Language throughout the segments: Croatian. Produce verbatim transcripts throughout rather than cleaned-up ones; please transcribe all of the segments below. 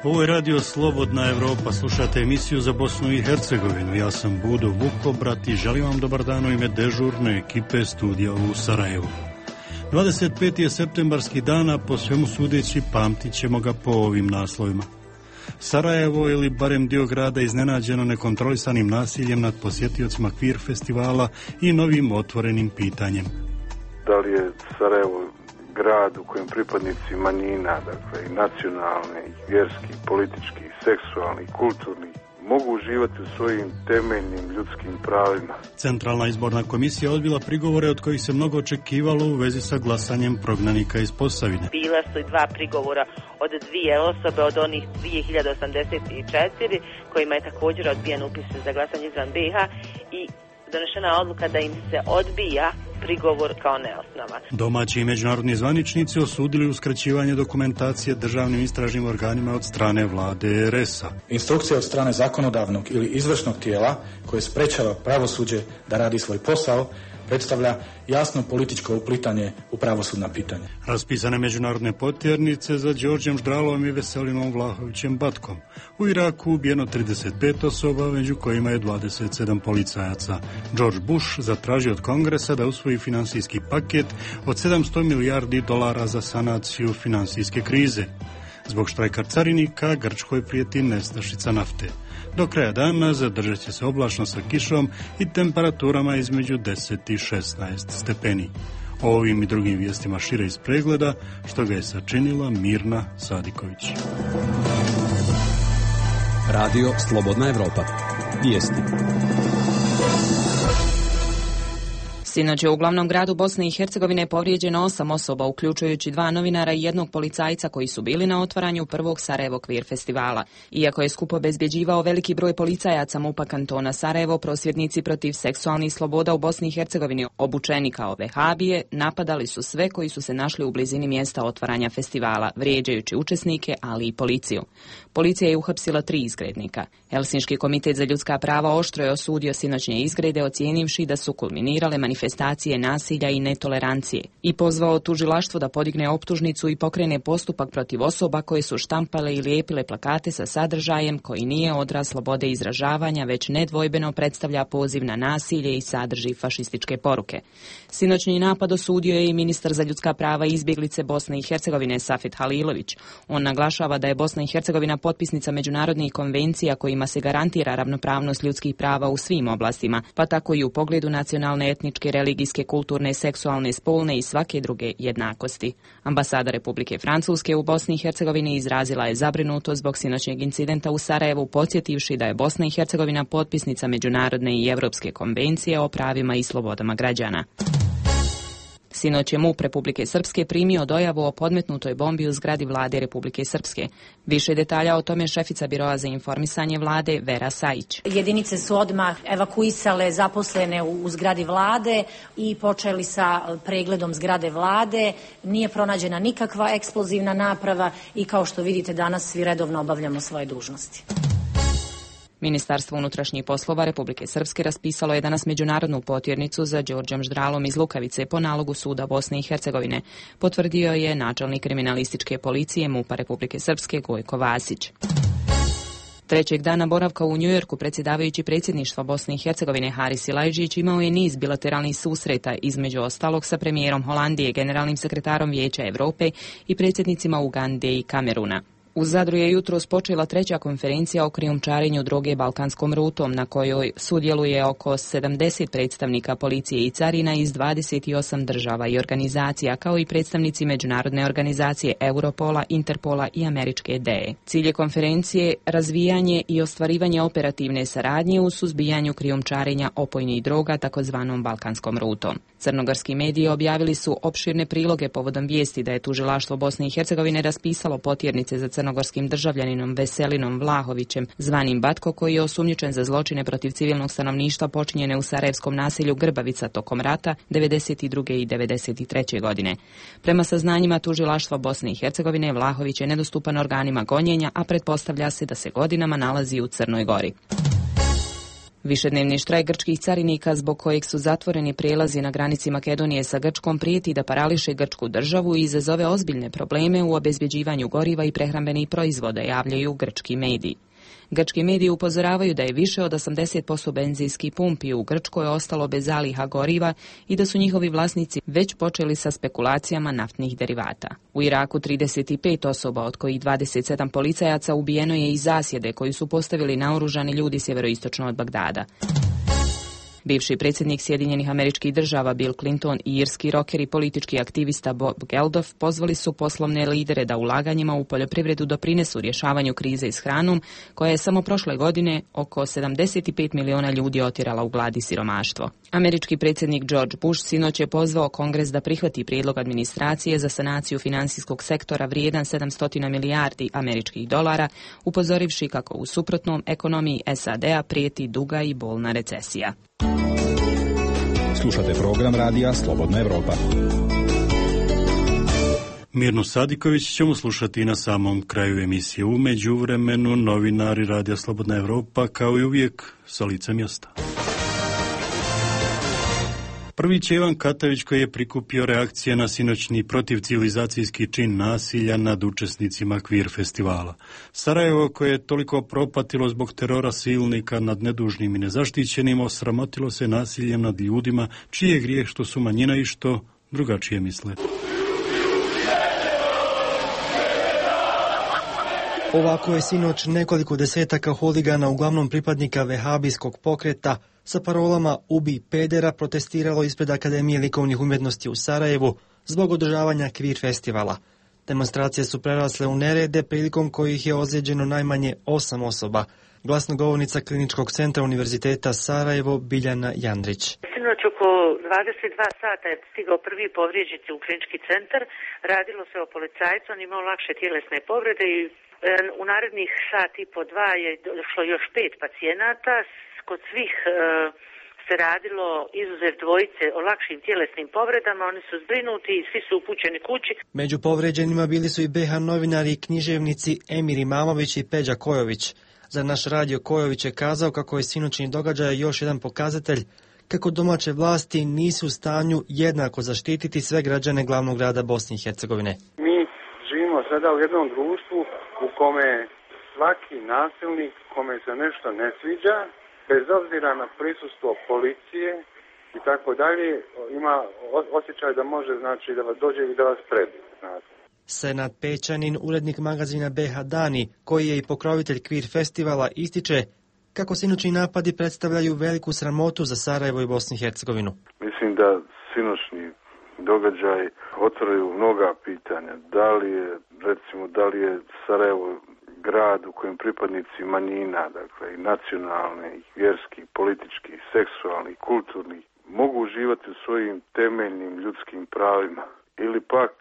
Ovo je radio Slobodna Evropa, slušate emisiju za Bosnu i Hercegovinu. Ja sam Budo Vukobrat i želim vam dobar dan u ime dežurne ekipe studija u Sarajevu. dvadeset peti je septembarski dan, a po svemu sudeći pamtit ćemo ga po ovim naslovima. Sarajevo ili barem dio grada iznenađeno nekontrolisanim nasiljem nad posjetiocima Kvir festivala i novim otvorenim pitanjem. Da li je Sarajevo grad u kojem pripadnici manjina, dakle i nacionalne, i vjerski, politički, seksualni, kulturni, mogu uživati u svojim temeljnim ljudskim pravima. Centralna izborna komisija odbila prigovore od kojih se mnogo očekivalo u vezi sa glasanjem prognanika iz Posavine. Bila su i dva prigovora od dvije osobe, od onih dvije hiljade osamdeset četiri, kojima je također odbijen upis za glasanje izvan be ha i donešena odluka da im se odbija prigovor kao neosnovan. Domaći i međunarodni zvaničnici osudili uskraćivanje dokumentacije državnim istražnim organima od strane vlade er es a. Instrukcija od strane zakonodavnog ili izvršnog tijela koje sprečava pravosuđe da radi svoj posao predstavlja jasno političko uplitanje u pravosudna pitanja. Raspisane međunarodne potjernice za Đorđem Ždralom i Veselinom Vlahovićem Batkom. U Iraku ubijeno trideset pet osoba, među kojima je dvadeset sedam policajaca. George Bush zatražio od Kongresa da usvoji finansijski paket od sedamsto milijardi dolara za sanaciju finansijske krize. Zbog štrajka carinika Grčkoj prijeti nestašica nafte. Do kraja dana zadržat će se oblačno sa kišom i temperaturama između deset i šesnaest stepeni. O ovim i drugim vijestima šire iz pregleda, što ga je sačinila Mirna Sadiković. Radio Slobodna Evropa. Vijesti. Sinoć je u glavnom gradu Bosne i Hercegovine povrijeđeno osam osoba, uključujući dva novinara i jednog policajca koji su bili na otvaranju prvog Sarajevo Kvir festivala. Iako je skup obezbjeđivao veliki broj policajaca MUP-a kantona Sarajevo, prosvjednici protiv seksualnih sloboda u Bosni i Hercegovini, obučeni kao vehabije, napadali su sve koji su se našli u blizini mjesta otvaranja festivala, vrijeđajući učesnike, ali i policiju. Policija je uhapsila tri izgrednika. Helsinški komitet za ljudska prava oštro je osudio sinoćnje izgrede, ocijenivši da su kulminirale manifestacije nasilja i netolerancije i pozvao tužilaštvo da podigne optužnicu i pokrene postupak protiv osoba koje su štampale i lijepile plakate sa sadržajem koji nije odraz slobode izražavanja, već nedvojbeno predstavlja poziv na nasilje i sadrži fašističke poruke. Sinoćni napad osudio je i ministar za ljudska prava i izbjeglice Bosne i Hercegovine Safet Halilović. On naglašava da je Bosna i Hercegovina potpisnica međunarodnih konvencija kojima se garantira ravnopravnost ljudskih prava u svim oblastima, pa tako i u pogledu nacionalne, etničke, religijske, kulturne, seksualne, spolne i svake druge jednakosti. Ambasada Republike Francuske u Bosni i Hercegovini izrazila je zabrinutost zbog sinoćnjeg incidenta u Sarajevu, podsjetivši da je Bosna i Hercegovina potpisnica međunarodne i europske konvencije o pravima i slobodama građana. Sinoć je MUP Republike Srpske primio dojavu o podmetnutoj bombi u zgradi vlade Republike Srpske. Više detalja o tome šefica Biroa za informisanje vlade Vera Sajić. Jedinice su odmah evakuisale zaposlene u zgradi vlade i počeli sa pregledom zgrade vlade. Nije pronađena nikakva eksplozivna naprava i kao što vidite danas svi redovno obavljamo svoje dužnosti. Ministarstvo unutrašnjih poslova Republike Srpske raspisalo je danas međunarodnu potjernicu za Đorđem Ždralom iz Lukavice po nalogu suda Bosne i Hercegovine, potvrdio je načelnik kriminalističke policije MUP-a Republike Srpske Gojko Vasić. Trećeg dana boravka u Njujorku predsjedavajući predsjedništva Bosne i Hercegovine Haris Silajđić imao je niz bilateralnih susreta, između ostalog sa premijerom Holandije, generalnim sekretarom Vijeća Europe i predsjednicima Ugande i Kameruna. U Zadru je jutros počela treća konferencija o krijumčarenju droge balkanskom rutom, na kojoj sudjeluje oko sedamdeset predstavnika policije i carina iz dvadeset osam država i organizacija, kao i predstavnici međunarodne organizacije Europola, Interpola i američke D E. Cilj je konferencije razvijanje i ostvarivanje operativne saradnje u suzbijanju krijumčarenja opojnih droga takozvanom balkanskom rutom. Crnogorski mediji objavili su opširne priloge povodom vijesti da je tužilaštvo Bosne i Hercegovine raspisalo potjernice za crnogorskim državljaninom Veselinom Vlahovićem, zvanim Batko, koji je osumnjičen za zločine protiv civilnog stanovništva počinjene u sarajevskom naselju Grbavica tokom rata devedeset druge i devedeset treće godine. Prema saznanjima tužilaštva Bosne i Hercegovine, Vlahović je nedostupan organima gonjenja, a pretpostavlja se da se godinama nalazi u Crnoj Gori. Višednevni štrajk grčkih carinika zbog kojeg su zatvoreni prijelazi na granici Makedonije sa Grčkom prijeti da parališe grčku državu i izazove ozbiljne probleme u obezbjeđivanju goriva i prehrambenih proizvoda, javljaju grčki mediji. Grčki mediji upozoravaju da je više od osamdeset posto benzinskih pumpi u Grčkoj ostalo bez zaliha goriva i da su njihovi vlasnici već počeli sa spekulacijama naftnih derivata. U Iraku trideset pet osoba, od kojih dvadeset sedam policajaca, ubijeno je iz zasjede koju su postavili naoružani ljudi sjeveroistočno od Bagdada. Bivši predsjednik Sjedinjenih Američkih Država Bill Clinton i irski roker i politički aktivista Bob Geldof pozvali su poslovne lidere da ulaganjima u poljoprivredu doprinesu rješavanju krize s hranom, koja je samo prošle godine oko sedamdeset pet miliona ljudi otjerala u glad i siromaštvo. Američki predsjednik George Bush sinoć je pozvao Kongres da prihvati prijedlog administracije za sanaciju financijskog sektora vrijedan sedamsto milijardi američkih dolara, upozorivši kako u suprotnom ekonomiji S A D-a prijeti duga i bolna recesija. Slušate program radija Slobodna Evropa. Mirnu Sadiković ćemo slušati na samom kraju emisije. U međuvremenu novinari radija Slobodna Evropa kao i uvijek sa lice mjesta. Prvić je Ivan Katavić, koji je prikupio reakcije na sinoćni protivcivilizacijski čin nasilja nad učesnicima Kvir festivala. Sarajevo, koje je toliko propatilo zbog terora silnika nad nedužnim i nezaštićenim, osramotilo se nasiljem nad ljudima čiji je grijeh što su manjina i što drugačije misle. Ovako je sinoć nekoliko desetaka huligana, uglavnom pripadnika vehabijskog pokreta, sa parolama "Ubi pedera" protestiralo ispred Akademije likovnih umjetnosti u Sarajevu zbog održavanja Kvir festivala. Demonstracije su prerasle u nerede, prilikom kojih je ozlijeđeno najmanje osam osoba. Glasnogovornica Kliničkog centra Univerziteta Sarajevo Biljana Jandrić. Sinoć oko dvadeset dva sata je stigao prvi povrijeđeni u klinički centar. Radilo se o policajcu, on imao lakše tjelesne povrede i u narednih sat i po dva je došlo još pet pacijenata. Kod svih e, se radilo, izuzev dvojice, o lakšim tjelesnim povredama. Oni su zbrinuti i svi su upućeni kući. Među povrijeđenima bili su i B H novinari i književnici Emir Imamović i Peđa Kojović. Za naš radio Kojović je kazao kako je sinoćni događaj još jedan pokazatelj kako domaće vlasti nisu u stanju jednako zaštititi sve građane glavnog grada Bosne i Hercegovine. Mi živimo sada u jednom društvu u kome svaki nasilnik kome se nešto ne sviđa, bez obzira na prisustvo policije i tako dalje, ima osjećaj da može, znači, da vas dođe i da vas prebije. Senad Pećanin, urednik magazina B H Dani, koji je i pokrovitelj Kvir festivala, ističe kako sinoćni napadi predstavljaju veliku sramotu za Sarajevo i Bosnu i Hercegovinu. Mislim da sinoćni događaj otvaraju mnoga pitanja. Da li je, recimo, da li je Sarajevo grad u kojem pripadnici manjina, dakle i nacionalne, i vjerski, politički, seksualni, kulturni, mogu uživati u svojim temeljnim ljudskim pravima. Ili pak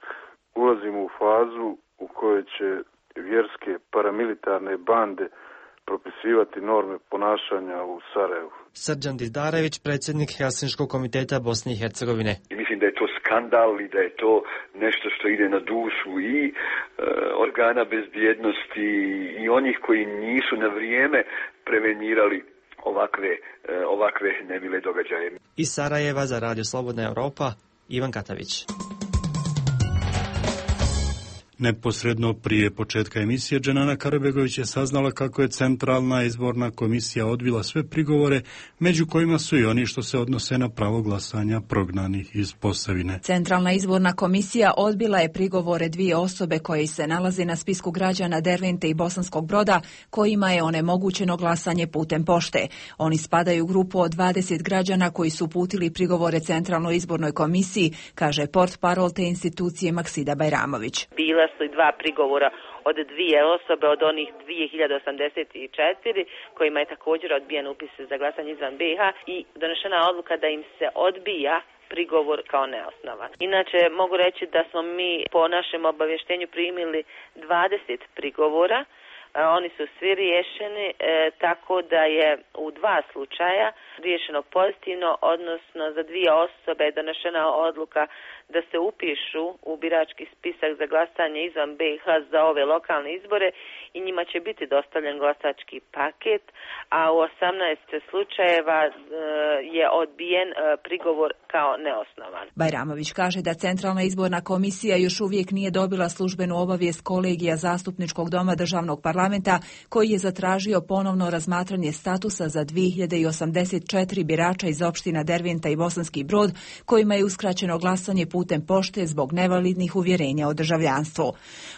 ulazimo u fazu u kojoj će vjerske paramilitarne bande propisivati norme ponašanja u Sarajevu. Srđan Dizdarević, predsjednik Helsinškog komiteta Bosne i Hercegovine. I mislim da je to skandal i da je to nešto što ide na dušu i e, organa bezbjednosti i onih koji nisu na vrijeme prevenirali ovakve, e, ovakve nemile događaje. Iz Sarajeva za Radio Slobodna Evropa, Ivan Katavić. Neposredno prije početka emisije Dženana Karabegović je saznala kako je Centralna izborna komisija odbila sve prigovore, među kojima su i oni što se odnose na pravo glasanja prognanih iz Posavine. Centralna izborna komisija odbila je prigovore dvije osobe koje se nalaze na spisku građana Dervente i Bosanskog Broda, kojima je onemogućeno glasanje putem pošte. Oni spadaju u grupu od dvadeset građana koji su uputili prigovore Centralnoj izbornoj komisiji, kaže portparol te institucije Maksida Bajramović. Bila su i dva prigovora od dvije osobe od onih dvije hiljade osamdeset četiri kojima je također odbijen upis za glasanje izvan B H i donešena odluka da im se odbija prigovor kao neosnovan. Inače, mogu reći da smo mi po našem obavještenju primili dvadeset prigovora. Oni su svi riješeni, e, tako da je u dva slučaja riješeno pozitivno, odnosno za dvije osobe je donešena odluka da se upišu u birački spisak za glasanje izvan B i H za ove lokalne izbore i njima će biti dostavljen glasački paket, a u osamnaest slučajeva e, je odbijen e, prigovor kao neosnovan. Bajramović kaže da Centralna izborna komisija još uvijek nije dobila službenu obavijest kolegija Zastupničkog doma Državnog parlamenta koji je zatražio ponovno razmatranje statusa za dvije hiljade osamdeset četiri birača iz opština Derventa i Bosanski Brod kojima je uskraćeno glasanje putem pošte zbog nevalidnih uvjerenja o državljanstvu.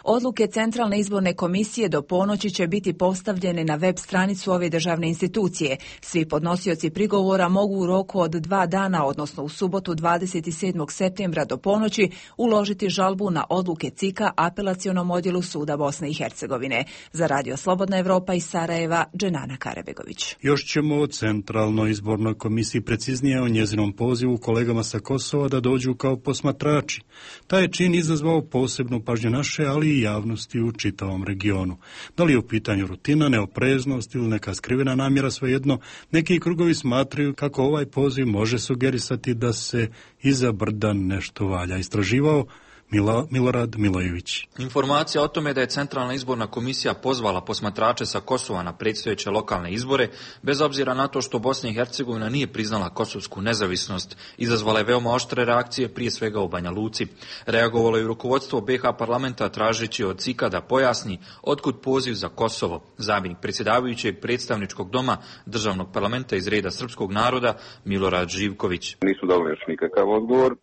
Odluke Centralne izborne komisije do ponoći će biti postavljene na web stranicu ove državne institucije. Svi podnosioci prigovora mogu u roku od dva dana, odnosno u subotu dvadeset sedmog septembra do ponoći, uložiti žalbu na odluke C I K-a apelacionom odjelu Suda Bosne i Hercegovine. Za Radio Slobodna Evropa iz Sarajeva, Dženana Karebegović. Još ćemo o Centralnoj izbornoj komisiji, preciznije o njezinom pozivu kolegama sa Kosova da dođu kao posmatrači. Taj je čin izazvao posebnu pažnju naše, ali i javnosti u čitavom regionu. Da li je u pitanju rutina, neopreznost ili neka skrivena namjera, svejedno, neki krugovi smatraju kako ovaj poziv može sugerisati da se iza brda nešto valja. Istraživao Mila, Milorad Milojević. Informacija o tome da je Centralna izborna komisija pozvala posmatrače sa Kosova na predstojeće lokalne izbore, bez obzira na to što Bosna i Hercegovina nije priznala kosovsku nezavisnost, izazvala je veoma oštre reakcije, prije svega u Banja Luci. Reagovalo je rukovodstvo B i H parlamenta tražeći od C I K-a da pojasni otkud poziv za Kosovo. Zamjenik predsjedavajućeg predstavničkog doma Državnog parlamenta iz reda srpskog naroda Milorad Živković. Nisu dobili još nikakav odgovor,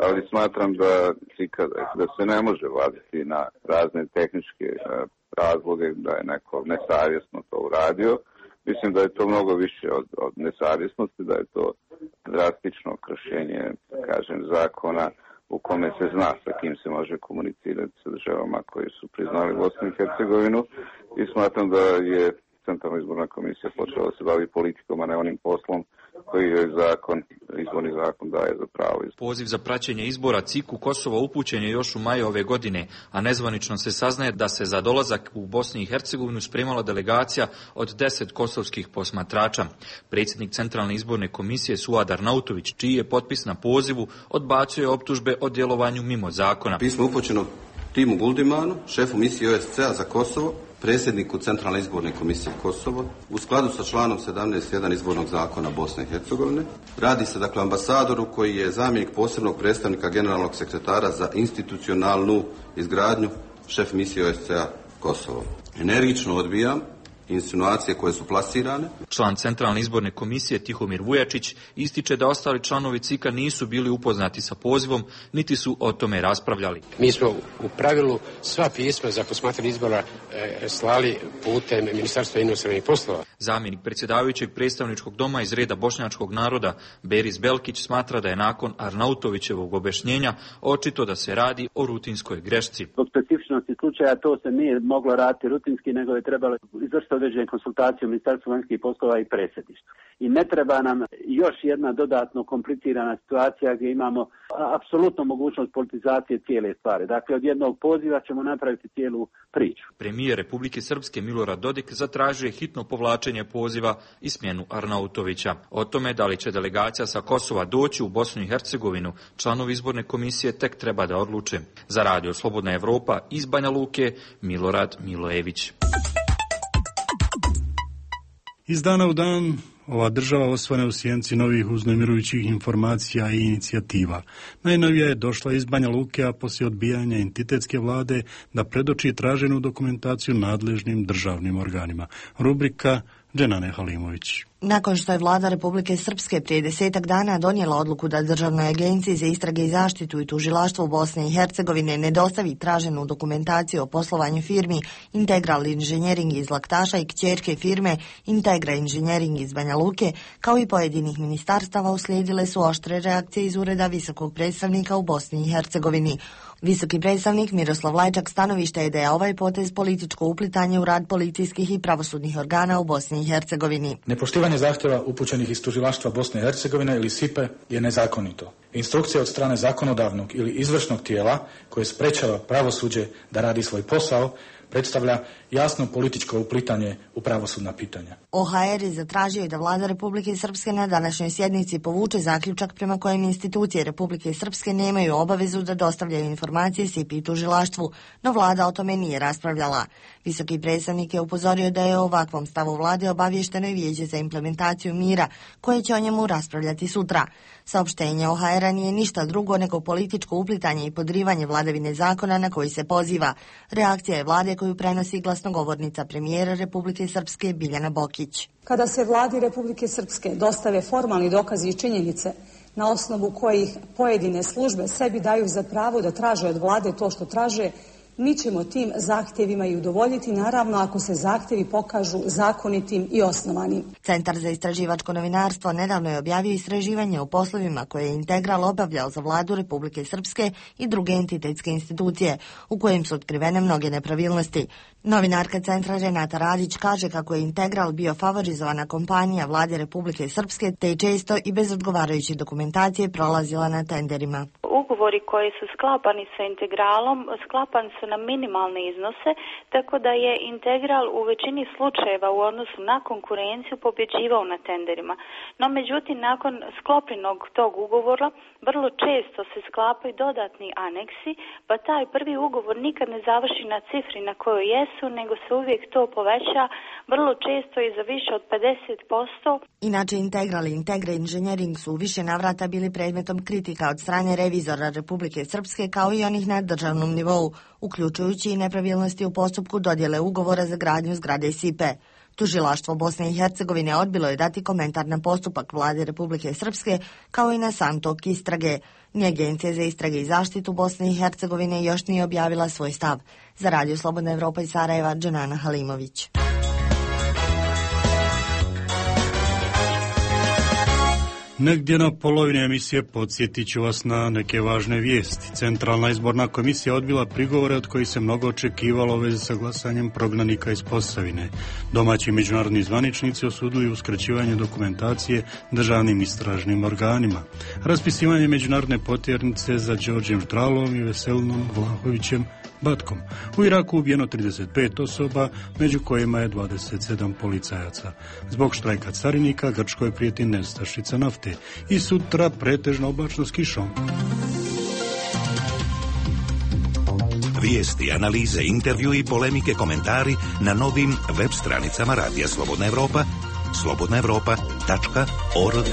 ali smatram da, da se ne može vaditi na razne tehničke razloge da je neko nesavjesno to uradio. Mislim da je to mnogo više od, od nesavjesnosti, da je to drastično kršenje, kažem, zakona u kome se zna sa kim se može komunicirati sa državama koji su priznali Bosnu i Hercegovinu i smatram da je Centralna izborna komisija počela da se bavi politikom, a ne onim poslom koji je zakon, izborni zakon daje za pravo. Poziv za praćenje izbora C I K-u Kosova upućen je još u maju ove godine, a nezvanično se saznaje da se za dolazak u Bosni i Hercegovinu spremala delegacija od deset kosovskih posmatrača. Predsjednik Centralne izborne komisije Suad Arnautović, čiji je potpis na pozivu, odbacio je optužbe o djelovanju mimo zakona. Pismo upućeno Timu Guldimanu, šefu misije O S C-a za Kosovo, predsjedniku Centralne izborne komisije Kosovo, u skladu sa članom sedamnaest jedan izbornog zakona Bosne i Hercegovine. Radi se dakle ambasadoru koji je zamjenik posebnog predstavnika generalnog sekretara za institucionalnu izgradnju, šef misije O S C-a Kosovo. Energično odbijam insinuacije koje su plasirane. Član Centralne izborne komisije Tihomir Vujačić ističe da ostali članovi C I K-a nisu bili upoznati sa pozivom, niti su o tome raspravljali. Mi smo u pravilu sva pisma za posmatranje izbora e, slali putem Ministarstva inostranih poslova. Zamjenik predsjedavajućeg predstavničkog doma iz reda bošnjačkog naroda Beris Belkić smatra da je nakon Arnautovićevog objašnjenja očito da se radi o rutinskoj grešci. Zbog specifičnosti slučaja to se nije moglo raditi rutinski, nego je trebalo izvršiti određene konsultacije u Ministarstvu vanjskih poslova i predsjedništvu. I ne treba nam još jedna dodatno komplicirana situacija gdje imamo apsolutno mogućnost politizacije cijele stvari. Dakle, od jednog poziva ćemo napraviti cijelu priču. Premijer Republike Srpske Milorad Dodik zatražio je hitno povlačenje poziva i smjenu Arnautovića. O tome da li će delegacija sa Kosova doći u Bosnu i Hercegovinu, članovi izborne komisije tek treba da odluče. Za Radio Slobodna Evropa iz Banja Luke, Milorad Milojević. Iz dana u dan ova država osvane u sjenci novih uznemirujućih informacija i inicijativa. Najnovija je došla iz Banja Luke, a poslije odbijanja entitetske vlade da predoči traženu dokumentaciju nadležnim državnim organima. Rubrika Dženane Halimović. Nakon što je vlada Republike Srpske prije desetak dana donijela odluku da Državnoj agenciji za istrage i zaštitu i tužilaštvo u Bosne i Hercegovine ne dostavi traženu dokumentaciju o poslovanju firmi Integral Inženjering iz Laktaša i kćerke firme Integra Inženjering iz Banja Luke, kao i pojedinih ministarstava, uslijedile su oštre reakcije iz ureda visokog predstavnika u Bosni i Hercegovini. Visoki predstavnik Miroslav Lajčak stanovište je da je ovaj potez političko uplitanje u rad policijskih i pravosudnih organa u Bosni i Hercegovini. Nepoštivanje zahtjeva upućenih iz tužilaštva Bosne i Hercegovine ili S I P-e je nezakonito. Instrukcija od strane zakonodavnog ili izvršnog tijela koje sprečava pravosuđe da radi svoj posao predstavlja jasno političko uplitanje u pravosudna pitanja. O ha er je zatražio da vlada Republike Srpske na današnjoj sjednici povuče zaključak prema kojem institucije Republike Srpske nemaju obavezu da dostavljaju informacije S I P I tužilaštvu, no vlada o tome nije raspravljala. Visoki predstavnik je upozorio da je o ovakvom stavu vlade obavješteno i Vijeće za implementaciju mira, koje će o njemu raspravljati sutra. Saopštenje o ha era nije ništa drugo nego političko uplitanje i podrivanje vladavine zakona na koji se poziva. Reakcija je vlade koju prenosi glasnogovornica premijera Republike Srpske Biljana Bokić. Kada se vladi Republike Srpske dostave formalni dokazi i činjenice na osnovu kojih pojedine službe sebi daju za pravo da traže od vlade to što traže, mi ćemo tim zahtjevima i udovoljiti, naravno ako se zahtjevi pokažu zakonitim i osnovanim. Centar za istraživačko novinarstvo nedavno je objavio istraživanje o poslovima koje je Integral obavljao za vladu Republike Srpske i druge entitetske institucije, u kojem su otkrivene mnoge nepravilnosti. Novinarka centra Renata Radić kaže kako je Integral bio favorizovana kompanija vlade Republike Srpske, te je često i bez odgovarajuće dokumentacije prolazila na tenderima. Ugovori koji su sklapani sa Integralom, sklapani su na minimalne iznose, tako da je Integral u većini slučajeva u odnosu na konkurenciju pobjeđivao na tenderima. No međutim, nakon sklopljenog tog ugovora, vrlo često se sklapaju dodatni aneksi, pa taj prvi ugovor nikad ne završi na cifri na kojoj jesu, nego se uvijek to poveća, vrlo često i za više od pedeset posto. Inače, Integral i Integra Engineering su u više navrata bili predmetom kritika od strane revizora Republike Srpske, kao i onih na državnom nivou, uključujući i nepravilnosti u postupku dodjele ugovora za gradnju zgrade S I P E. Tužilaštvo Bosne i Hercegovine odbilo je dati komentar na postupak vlade Republike Srpske, kao i na sam tok istrage. Ni Agencija za istrage i zaštitu Bosne i Hercegovine još nije objavila svoj stav. Za Radio Slobodna Evropa iz Sarajeva, Dženana Halimović. Negdje na polovini emisije podsjetit ću vas na neke važne vijesti. Centralna izborna komisija odbila prigovore od kojih se mnogo očekivalo u vezi sa glasanjem prognanika iz Posavine. Domaći i međunarodni zvaničnici osudili uskraćivanje dokumentacije državnim istražnim organima. Raspisivanje međunarodne potjernice za Đorđem Štralom i Veselinom Vlahovićem Batkom. U Iraku ubijeno trideset pet osoba, među kojima je dvadeset sedam policajaca. Zbog štrajka carinika Grčkoj prijeti nestašica nafte i sutra pretežno oblačno s kišom. Vijesti, analize, intervju i polemike, komentari na novim web stranicama Radija Slobodna Evropa, slobodna evropa tačka org.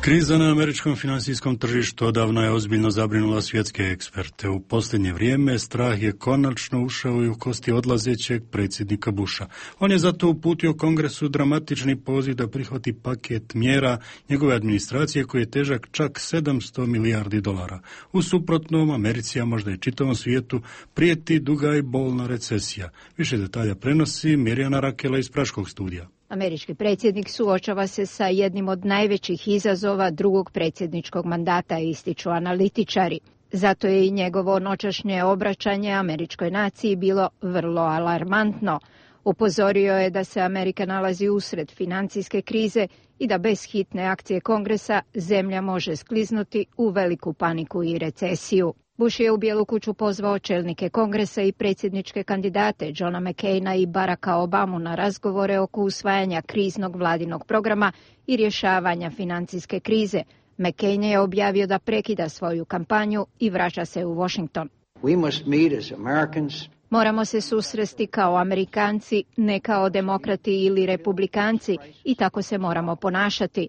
Kriza na američkom financijskom tržištu odavno je ozbiljno zabrinula svjetske eksperte. U posljednje vrijeme strah je konačno ušao i u kosti odlazećeg predsjednika Busha. On je zato uputio Kongresu dramatični poziv da prihvati paket mjera njegove administracije koji je težak čak sedamsto milijardi dolara. U suprotnom, Americi, a možda i čitavom svijetu, prijeti duga i bolna recesija. Više detalja prenosi Mirjana Rakela iz Praškog studija. Američki predsjednik suočava se sa jednim od najvećih izazova drugog predsjedničkog mandata, ističu analitičari. Zato je i njegovo noćašnje obraćanje američkoj naciji bilo vrlo alarmantno. Upozorio je da se Amerika nalazi usred financijske krize i da bez hitne akcije Kongresa zemlja može skliznuti u veliku paniku i recesiju. Bush je u Bijelu kuću pozvao čelnike Kongresa i predsjedničke kandidate Johna McCaina i Baracka Obamu na razgovore oko usvajanja kriznog vladinog programa i rješavanja financijske krize. McCain je objavio da prekida svoju kampanju i vraća se u Washington. We must meet as Americans. Moramo se susresti kao Amerikanci, ne kao demokrati ili republikanci, i tako se moramo ponašati.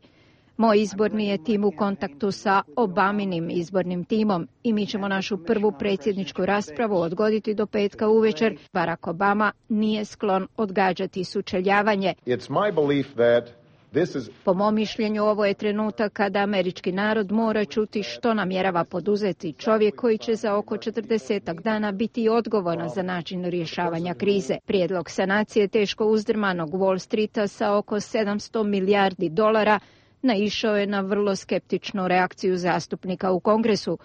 Moj izborni je tim u kontaktu sa Obaminim izbornim timom i mi ćemo našu prvu predsjedničku raspravu odgoditi do petka uvečer. Barack Obama nije sklon odgađati sučeljavanje. It's my belief that this is... Po mom mišljenju, ovo je trenutak kada američki narod mora čuti što namjerava poduzeti čovjek koji će za oko četrdesetak dana biti odgovoran za način rješavanja krize. Prijedlog sanacije teško uzdrmanog Wall Streeta sa oko sedamsto milijardi dolara naišao je na vrlo skeptičnu reakciju zastupnika u Kongresu.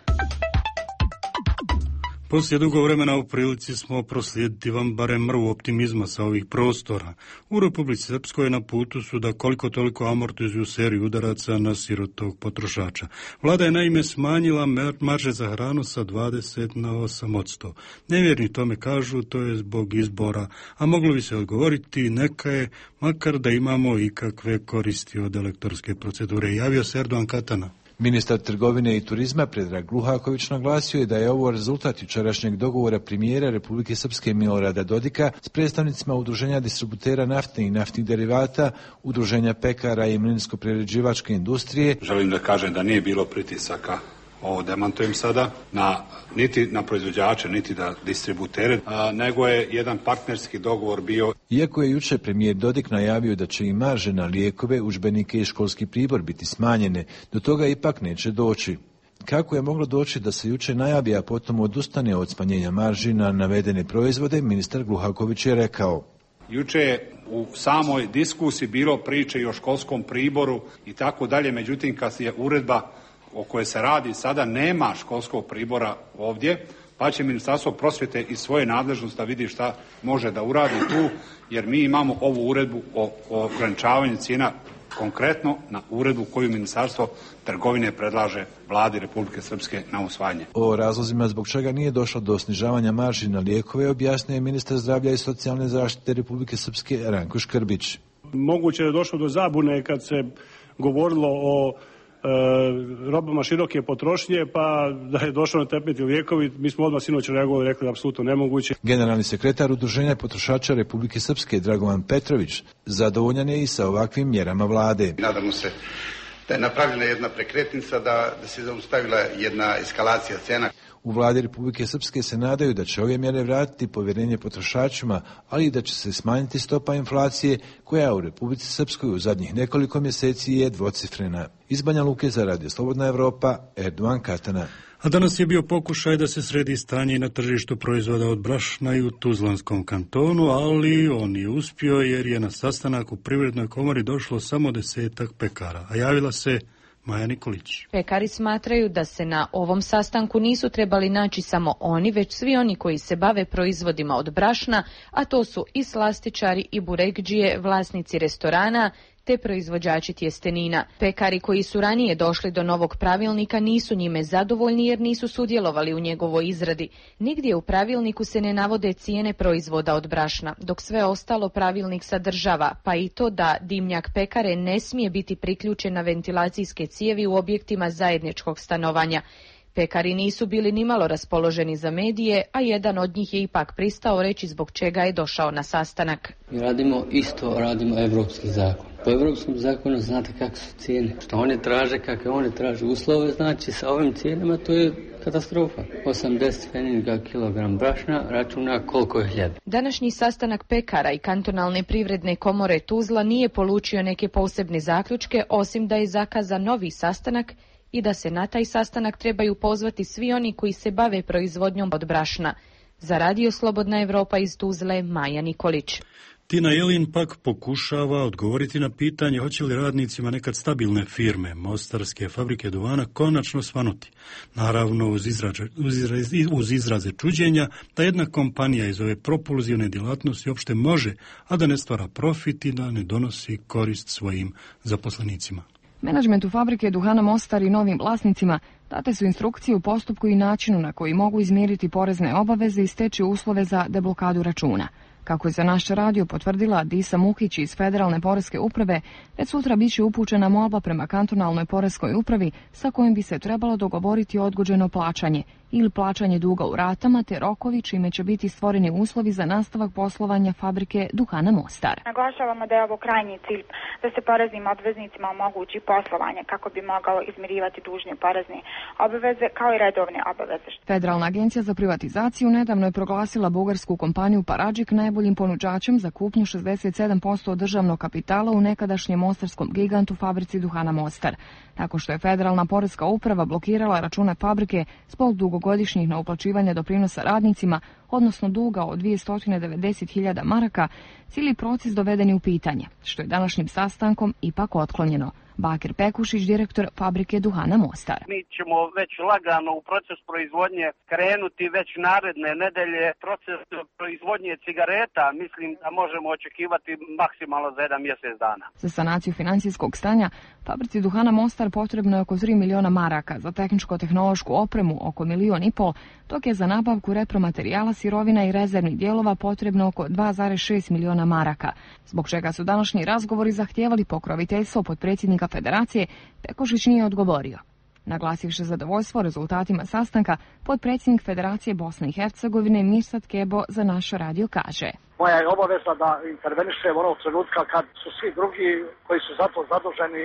Poslije dugo vremena u prilici smo proslijediti vam barem mrvu optimizma sa ovih prostora. U Republici Srpskoj na putu su da koliko toliko amortizuju seriju udaraca na sirotog potrošača. Vlada je naime smanjila marže za hranu sa dvadeset na osam posto. Nevjerni tome kažu to je zbog izbora, a moglo bi se odgovoriti neka je, makar da imamo ikakve koristi od elektorske procedure. Javio se Erdogan Katana. Ministar trgovine i turizma Predrag Luhaković naglasio je da je ovo rezultat jučerašnjeg dogovora premijera Republike Srpske Milorada Dodika s predstavnicima udruženja distributera nafte i naftnih derivata, udruženja pekara i mlinsko-prerađivačke industrije. Želim da kažem da nije bilo pritisaka, ovo demantujem sada, na, niti na proizvođače, niti na distributere, a, nego je jedan partnerski dogovor bio. Iako je juče premijer Dodik najavio da će i marže na lijekove, udžbenike i školski pribor biti smanjene, do toga ipak neće doći. Kako je moglo doći da se juče najavi, a potom odustane od smanjenja marži na navedene proizvode, ministar Gluhaković je rekao. Juče je u samoj diskusiji bilo priče i o školskom priboru i tako dalje, međutim kad je uredba o kojoj se radi sada nema školskog pribora ovdje, pa će Ministarstvo prosvjete iz svoje nadležnosti da vidi šta može da uradi tu, jer mi imamo ovu uredbu o, o ograničavanju cijena konkretno na uredbu koju Ministarstvo trgovine predlaže Vladi Republike Srpske na usvajanje. O razlozima zbog čega nije došlo do snižavanja marži na lijekove objasnio je ministar zdravlja i socijalne zaštite Republike Srpske Ranko Škrbić. Moguće je došlo do zabune kad se govorilo o robama široke potrošnje, pa da je došlo na tapet i lijekovi, mi smo odmah sinoć reagovali i rekli apsolutno nemoguće. Generalni sekretar Udruženja potrošača Republike Srpske Dragovan Petrović zadovoljan je i sa ovakvim mjerama vlade. Nadamo se da je napravljena jedna prekretnica, da, da se zaustavila jedna eskalacija cena. U vladi Republike Srpske se nadaju da će ove mjere vratiti povjerenje potrošačima, ali i da će se smanjiti stopa inflacije koja u Republici Srpskoj u zadnjih nekoliko mjeseci je dvocifrena. Iz Banja Luke za Radio Slobodna Evropa, Erdogan Katana. A danas je bio pokušaj da se sredi stanje na tržištu proizvoda od brašna i u Tuzlanskom kantonu, ali on je uspio jer je na sastanak u Privrednoj komori došlo samo desetak pekara, a javila se Maja Nikolić. Pekari smatraju da se na ovom sastanku nisu trebali naći samo oni, već svi oni koji se bave proizvodima od brašna, a to su i slastičari i burekdžije, vlasnici restorana, te proizvođači tjestenina. Pekari koji su ranije došli do novog pravilnika nisu njime zadovoljni jer nisu sudjelovali u njegovoj izradi. Nigdje u pravilniku se ne navode cijene proizvoda od brašna, dok sve ostalo pravilnik sadržava, pa i to da dimnjak pekare ne smije biti priključen na ventilacijske cijevi u objektima zajedničkog stanovanja. Pekari nisu bili nimalo raspoloženi za medije, a jedan od njih je ipak pristao reći zbog čega je došao na sastanak. Mi radimo isto, radimo evropski zakon. Po evropskom zakonu znate kakve su cijene. Što oni traže, kakve oni traže uslove, znači sa ovim cijenama to je katastrofa. osamdeset pfenninga kilogram brašna računa koliko je hljeba. Današnji sastanak pekara i kantonalne privredne komore Tuzla nije polučio neke posebne zaključke, osim da je zakazan novi sastanak i da se na taj sastanak trebaju pozvati svi oni koji se bave proizvodnjom od brašna. Za Radio Slobodna Evropa iz Tuzle, Maja Nikolić. Tina Jelin pak pokušava odgovoriti na pitanje hoće li radnicima nekad stabilne firme, mostarske fabrike duvana, konačno svanuti. Naravno uz, izraže, uz, izraze, uz izraze čuđenja da jedna kompanija iz ove propulzivne djelatnosti uopšte može, a da ne stvara profit i da ne donosi korist svojim zaposlenicima. Menadžmentu fabrike Duhana Mostar i novim vlasnicima date su instrukcije u postupku i načinu na koji mogu izmiriti porezne obaveze i steći uslove za deblokadu računa. Kako je za naš radio potvrdila Disa Mukić iz Federalne poreske uprave, već sutra biće upućena molba prema kantonalnoj poreskoj upravi sa kojim bi se trebalo dogovoriti odgođeno plaćanje ili plaćanje duga u ratama te rokovi čime će biti stvoreni uslovi za nastavak poslovanja fabrike Duhana Mostar. Naglašavamo da je ovo krajnji cilj da se poreznim obveznicima omogući poslovanje kako bi mogao izmirivati dužne porezne obaveze kao i redovne obaveze. Federalna agencija za privatizaciju nedavno je proglasila bugarsku kompaniju Paradžik najboljim ponuđačem za kupnju šezdeset sedam posto državnog kapitala u nekadašnjem mostarskom gigantu fabrici Duhana Mostar. Tako što je Federalna poreska uprava blokirala račune fabrike zbog dugogodišnjih neuplaćivanja doprinosa radnicima, odnosno duga od dvjesto devedeset hiljada maraka, cijeli proces doveden je u pitanje, što je današnjim sastankom ipak otklonjeno. Bakir Pekušić, direktor fabrike duhana Mostar. Mi ćemo već lagano u proces proizvodnje krenuti već naredne nedelje. Proces proizvodnje cigareta mislim da možemo očekivati maksimalno za jedan mjesec dana. Za sanaciju financijskog stanja fabrici duhana Mostar potrebno je oko tri miliona maraka, za tehničko-tehnološku opremu oko milion i pol, dok je za nabavku repromaterijala, sirovina i rezervnih dijelova potrebno oko dva zarez šest miliona maraka, zbog čega su današnji razgovori zahtijevali pokroviteljstvo potpredsjednika Federacije. Pekušić nije odgovorio. Naglasivši zadovoljstvo rezultatima sastanka, potpredsjednik Federacije Bosne i Hercegovine Mirsad Kebo za naš radio kaže: Moja je obaveza da intervenišem onog trenutka kad su svi drugi koji su za to zaduženi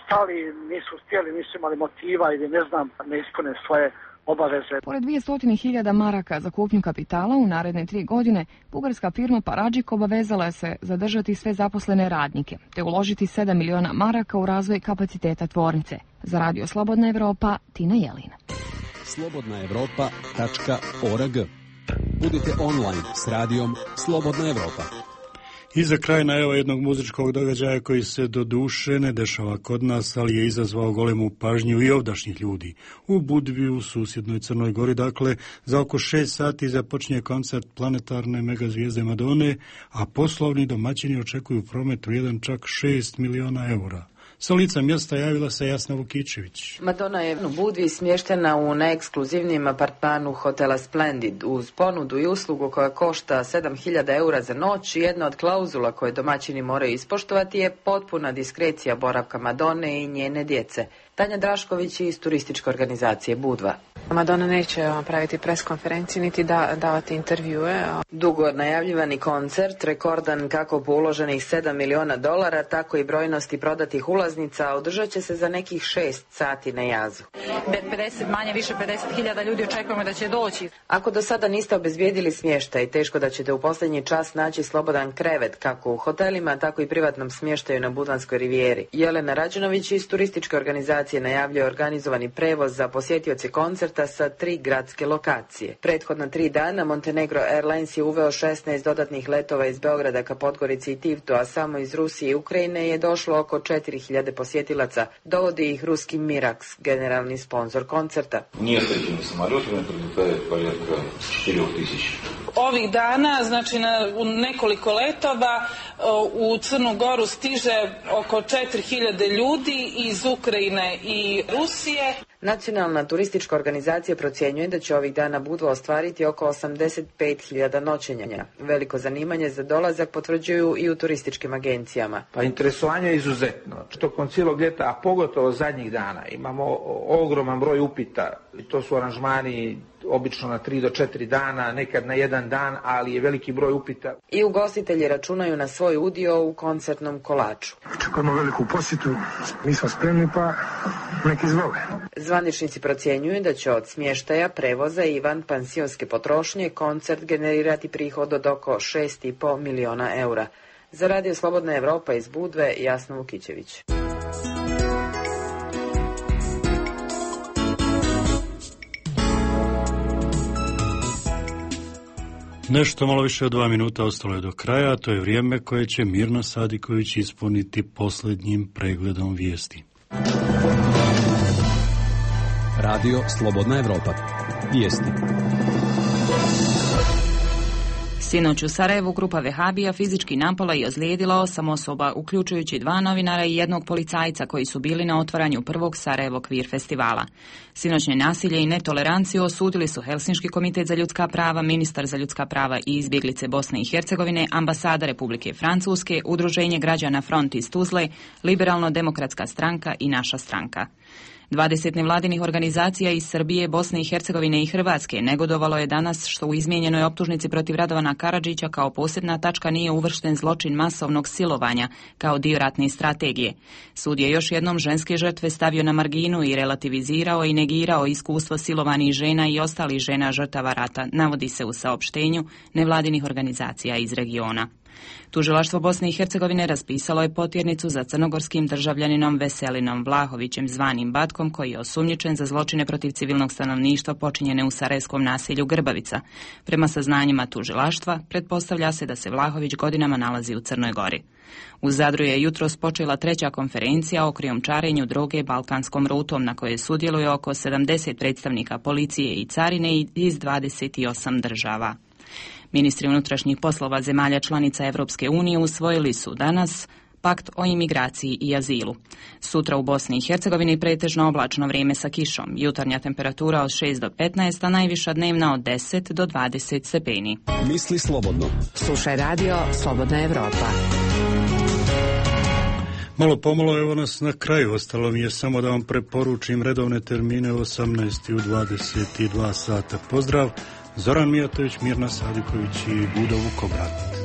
stali, nisu htjeli, nisu imali motiva ili ne znam, ne ispune svoje obaveze. Pored dvjesto hiljada maraka za kupnju kapitala u naredne tri godine, bugarska firma Paradžik obavezala je se zadržati sve zaposlene radnike, te uložiti sedam miliona maraka u razvoj kapaciteta tvornice. Za Radio Slobodna Evropa, Tina Jelina. slobodna evropa tačka org. Budite online s radijom Slobodna Evropa. I za kraj najava jednog muzičkog događaja koji se do duše ne dešava kod nas, ali je izazvao golemu pažnju i ovdašnjih ljudi. U Budvi, u susjednoj Crnoj Gori, dakle, za oko šest sati započinje koncert planetarne megazvijezde Madone, a poslovni domaćini očekuju promet vrijedan čak šest miliona eura. Sa lica mjesta javila se Jasna Vukičević. Madonna je u Budvi smještena u najekskluzivnijem apartmanu hotela Splendid uz ponudu i uslugu koja košta sedam hiljada eura za noć. Jedna od klauzula koje domaćini moraju ispoštovati je potpuna diskrecija boravka Madone i njene djece. Tanja Drašković iz turističke organizacije Budva. Madonna neće praviti pres konferenciju niti da, davati intervjue. Dugo najavljivani koncert, rekordan kako po uloženih sedam miliona dolara, tako i brojnosti prodatih ulaznica, održat će se za nekih šest sati na jazu. pedeset, manje više pedeset hiljada ljudi očekujemo da će doći. Ako do sada niste obezbijedili smještaj, teško da ćete u posljednji čas naći slobodan krevet, kako u hotelima, tako i privatnom smještaju na Budvanskoj rivijeri. Jelena Rađenović iz turističke organizacije najavljuje organizovani prevoz za posjetioce koncerta sa tri gradske lokacije. Prethodna tri dana Montenegro Airlines je uveo šesnaest dodatnih letova iz Beograda ka Podgorici i Tivtu, a samo iz Rusije i Ukrajine je došlo oko četiri hiljade posjetilaca. Dovodi ih ruski Mirax, generalni sponzor koncerta. Nесколькими самолетами прилетает порядка četiri tisuće. Ovih dana, znači na, u nekoliko letova u Crnu Goru stiže oko četiri hiljade ljudi iz Ukrajine i Rusije. Nacionalna turistička organizacija procjenjuje da će ovih dana Budva ostvariti oko osamdeset pet hiljada noćenja. Veliko zanimanje za dolazak potvrđuju i u turističkim agencijama. Pa interesovanje je izuzetno. Tokom cijelog ljeta, a pogotovo zadnjih dana, imamo ogroman broj upita. To su aranžmani obično na tri do četiri dana, nekad na jedan dan, ali je veliki broj upita. I ugostitelji računaju na svoj udio u koncertnom kolaču. Očekujemo veliku posjetu, mi smo spremni pa neki izvole. Zvaničnici procjenjuju da će od smještaja, prevoza i van pansionske potrošnje koncert generirati prihod od oko šest i pol miliona eura. Za Radio Slobodna Evropa iz Budve, Jasna Vukičević. Nešto malo više od dva minuta ostalo je do kraja, a to je vrijeme koje će Mirna Sadiković ispuniti posljednjim pregledom vijesti. Radio Slobodna Evropa. Vijesti. Sinoć u Sarajevu grupa vehabija fizički napala i ozlijedila osam osoba, uključujući dva novinara i jednog policajca koji su bili na otvaranju prvog Sarajevo Kvir festivala. Sinoćnje nasilje i netoleranciju osudili su Helsinški komitet za ljudska prava, ministar za ljudska prava i izbjeglice Bosne i Hercegovine, ambasada Republike Francuske, Udruženje građana Front iz Tuzle, Liberalno-demokratska stranka i Naša stranka. dvadeset nevladinih organizacija iz Srbije, Bosne i Hercegovine i Hrvatske negodovalo je danas što u izmijenjenoj optužnici protiv Radovana Karadžića kao posebna tačka nije uvršten zločin masovnog silovanja kao dio ratne strategije. Sud je još jednom ženske žrtve stavio na marginu i relativizirao i negirao iskustvo silovanih žena i ostalih žena žrtava rata, navodi se u saopštenju nevladinih organizacija iz regiona. Tužilaštvo Bosne i Hercegovine raspisalo je potjernicu za crnogorskim državljaninom Veselinom Vlahovićem zvanim Batkom, koji je osumnjičen za zločine protiv civilnog stanovništva počinjene u sarajevskom naselju Grbavica. Prema saznanjima tužilaštva, pretpostavlja se da se Vlahović godinama nalazi u Crnoj Gori. U Zadru je jutros počela treća konferencija o krijumčarenju droge balkanskom rutom, na kojoj sudjeluje oko sedamdeset predstavnika policije i carine iz dvadeset osam država. Ministri unutrašnjih poslova zemalja članica Evropske unije usvojili su danas pakt o imigraciji i azilu. Sutra u Bosni i Hercegovini pretežno oblačno vrijeme sa kišom, jutarnja temperatura od šest do petnaest, a najviša dnevna od deset do dvadeset stepeni. Misli slobodno. Slušaj radio Slobodna Evropa. Malo pomalo, evo nas na kraju. Ostalo mi je samo da vam preporučim redovne termine u osamnaest i u dvadeset dva sata. Pozdrav, Zoran Mijatović, Mirna Sadiković i Budo Vukobrat.